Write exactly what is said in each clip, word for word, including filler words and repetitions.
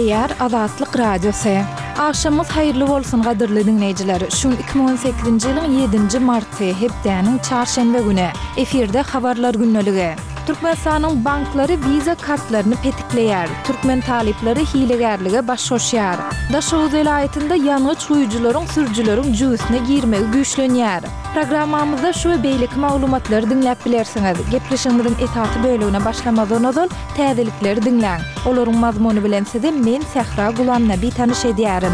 Gepleýär Azatlyk Radiosy. Agşamyňyz haýyrly bolsun gadyrly diňleýjiler. Şu gün iki müň on sekizinji ýylyň ýedinji marty, hepdäniň çarşenbe güni. Efirde Habarlar gündeligi. Türkmenistanyň banklary Visa kartlaryny petikleýär. Türkmen talyplary hilegärlige baş goşýar. Daşoguz welaýatynda ýangyç guýujylaryň sürüjileriň jübüsine girmegi güýçlenýär. Programmamyzda şu we beýleki maglumatlary diňläp bilersiňiz. Gepleşigimiziň esasy bölegine başlamazdan ozal, täzelikleri diňläň. Olaryň mazmuny bilen sizi men, Sähra Gulamnabi tanyş edýärin.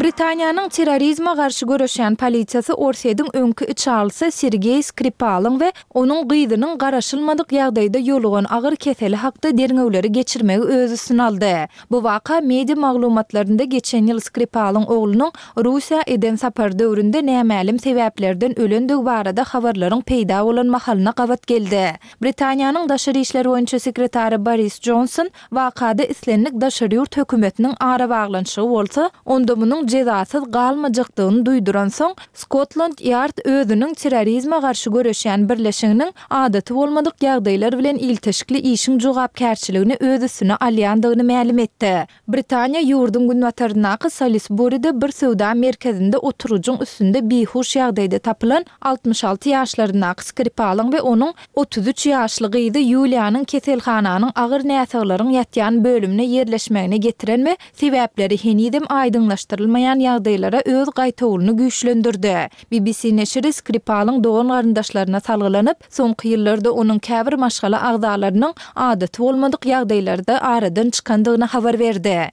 Britaniýanyň terrorizme garşy göreşýän polisiýasy Orsýetiň öňki içalysy Sergeý Skripalyň we onuň gyzynyň garaşylmadyk ýagdaýda ýolugan agyr keseli hakda derňewleri geçirmegi öz üstüne aldy. Bu waka media maglumatlarynda geçen ýyl Skripalyň oglunyň Russiýa eden sapary döwründe nämälim sebäplerden ölendigi barada habarlaryň peýda bolan mahalyna gabat geldi. Britaniýanyň daşary işler boýunça sekretary Boris Jonson wakada islendik daşary ýurt hökümetiniň arabaglanyşygy bolsa, onda munuň jezasyz galmajakdygyny duýduransoň, Skotland Ýard özüniň terrorizme garşy göreşýän birleşiginiň adaty bolmadyk ýagdaýlar bilen ilteşikli işiň jogapkärçiligini öz üstüne alýandygyny mälim etdi. Britaniýa ýurduň günbataryndaky Salisburide bir söwda merkezinde oturgyjyň üstünde bihuş ýagdaýda tapylan altmyş alty ýaşlaryndaky Skripalyň we onuň otuz üç ýaşly gyzy Ýuliýanyň keselhananyň agyr näsaglaryň ýatýan bölümine ýerleşmegine getiren we sebäpleri henizem aýdyňlaşdyrylmaýan ýagdaýlara öz gaýtawulyny güýçlendirdi. B B C neşiri Skripalyň dogan-garyndaşlaryna salgylanyp, soňky ýyllarda onuň käbir maşgala agzalarynyň adaty bolmadyk ýagdaýlarda aradan çykandygyny habar berdi.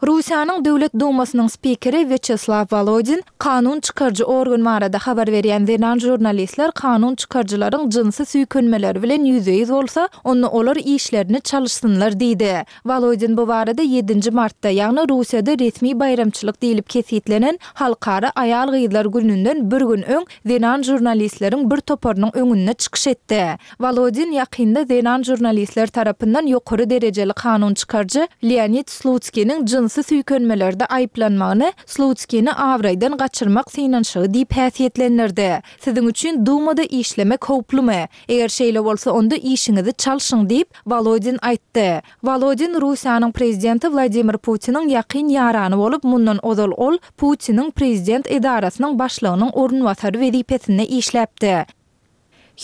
Russiýanyň Döwlet Dumasynyň spikeri Wýaçeslaw Wolodin kanun çykaryjy organ barada habar berýän zenan žurnalistler kanun çykaryjylaryň jynsy süýkenmeleri bilen ýüzbe-ýüz bolsa, onda olar işlerini çalyşsynlar diýdi. Wolodin bu barada ýedinji martda, ýagny Russiýada resmi baýramçylyk diýlip kesgitlenen Halkara aýal-gyzlar gününden bir gün öň zenan žurnalistleriň bir toparynyň öňünde çykyş etdi. Wolodin ýakynda zenan žurnalistler tarapyndan ýokary derejeli kanun çykaryjy Leonid Slutskiniň jynsy süýkenmelerde aýyplanmagyny Slutskini abraýdan gaçyrmak synanyşygy diýip häsiýetlendirdi. Siziň üçin Dumada işlemek howplumy? Eger şeýle bolsa, onda işiňizi çalşyň diýip, Wolodin aýtdy. Wolodin Russiýanyň prezidenti Wladimir Putiniň ýakyn ýarany bolup, mundan ozal ol Putiniň prezident edarasynyň başlygynyň orunbasary wezipesinde işläpdi.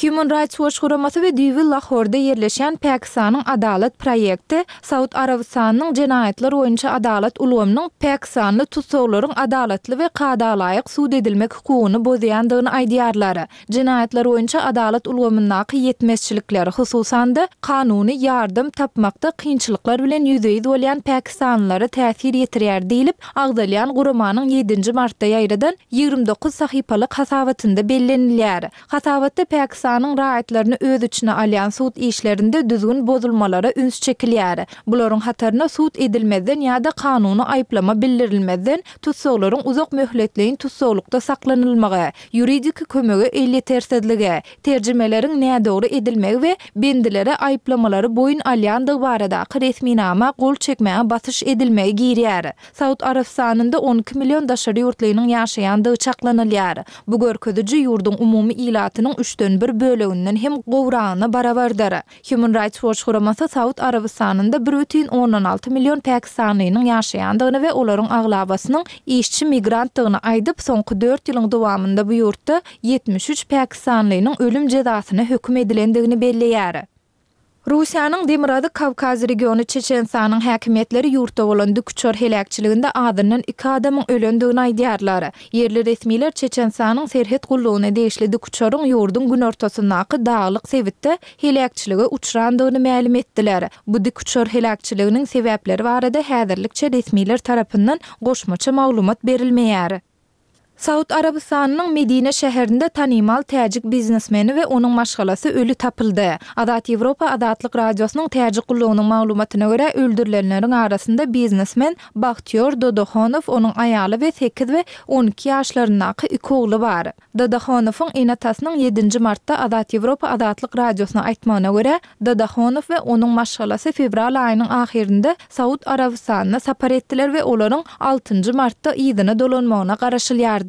Human Rights Watch guramasy we düýbi Lahorda ýerleşýän Pakistanyň Adalat proýekti Saud Arabystanynyň jenaýatlar boýunça adalat ulgamynyň pakistanly tussaglaryň adalatly we kadalaýyk sud edilmek hukugyny bozýandygyny aýdýarlar. Jenaýatlar boýunça adalat ulgamyndaky ýetmezçilikler, hususan-da, kanuny ýardam tapmakda kynçylyklar bilen ýüzbe-ýüz bolýan pakistanlylara täsir ýetirýär diýlip, agzalýan guramanyň ýedinji martda ýaýradan ýigrimi dokuz sahypalyk hasabatynda bellenilýär. Hasabatda Pakistanyň raýatlaryny öz içine alýan sud işlerinde düzgün bozulmalara üns çekilýär. Bularyň hataryna sud edilmezden ýa-da kanuny aýyplama bildirilmezden tussaglaryň uzak möhletleýin tussaglykda saklanylmagy, ýuridiki kömege elýetersizligi, terjimeleriň nädogry edilmegi we bendilere aýyplamalary boýun alýandygy baradaky resminama gol çekmäge basyş edilmegi girýär. Saud Arabystanynda on iki million daşary ýurtlynyň ýaşaýandygy çaklanylýar. Bu görkeziji ýurduň umumy ilatynyň üçden bir böleginden hem gowragyna barabardyr. Human Rights Watch guramasy Saud Arabystanynda bir bütin ondan alty million pakistanlynyň ýaşaýandygyny we olaryň aglabasynyň işçi migrantdygyny aýdyp, soňky dört ýylyň dowamynda bu ýurtda ýetmiş üç pakistanlynyň ölüm jezasyna höküm edilendigini belleýär. Russiýanyň Demirgazyk Kawkaz regiony Çeçenistanyň häkimiýetleri ýurtda bolan dikuçar heläkçiliginde azyndan iki adamyň ölendigini aýdýarlar. Ýerli resmiler Çeçenistanyň serhet gullugyna degişli dikuçaryň ýurduň günortasyndaky daglyk sebitde heläkçilige uçrandygyny mälim etdiler. Bu dikuçar heläkçiliginiň sebäpleri barada häzirlikçe resmiler tarapyndan goşmaça maglumat berilmeýär. Saud Arabystanynyň Medine şäherinde tanymal täjik biznesmeni we onuň maşgalasy öli tapyldy. Azat Ýewropa Azatlyk Radiosynyň täjik gullugynyň maglumatyna görä, öldürilenleriň arasynda biznesmen Bahtiýor Dodohonow, onuň aýaly we sekiz we on iki ýaşlaryndaky iki ogly bar. Dodohonowyň ene-atasynyň ýedinji martda Azat Ýewropa Azatlyk Radiosyna aýtmagyna görä, Dodohonow we onuň maşgalasy fewral aýynyň ahyrynda Saud Arabystanyna sapar etdiler we olaryň altynjy martda yzyna dolanmagyna garaşylýardy.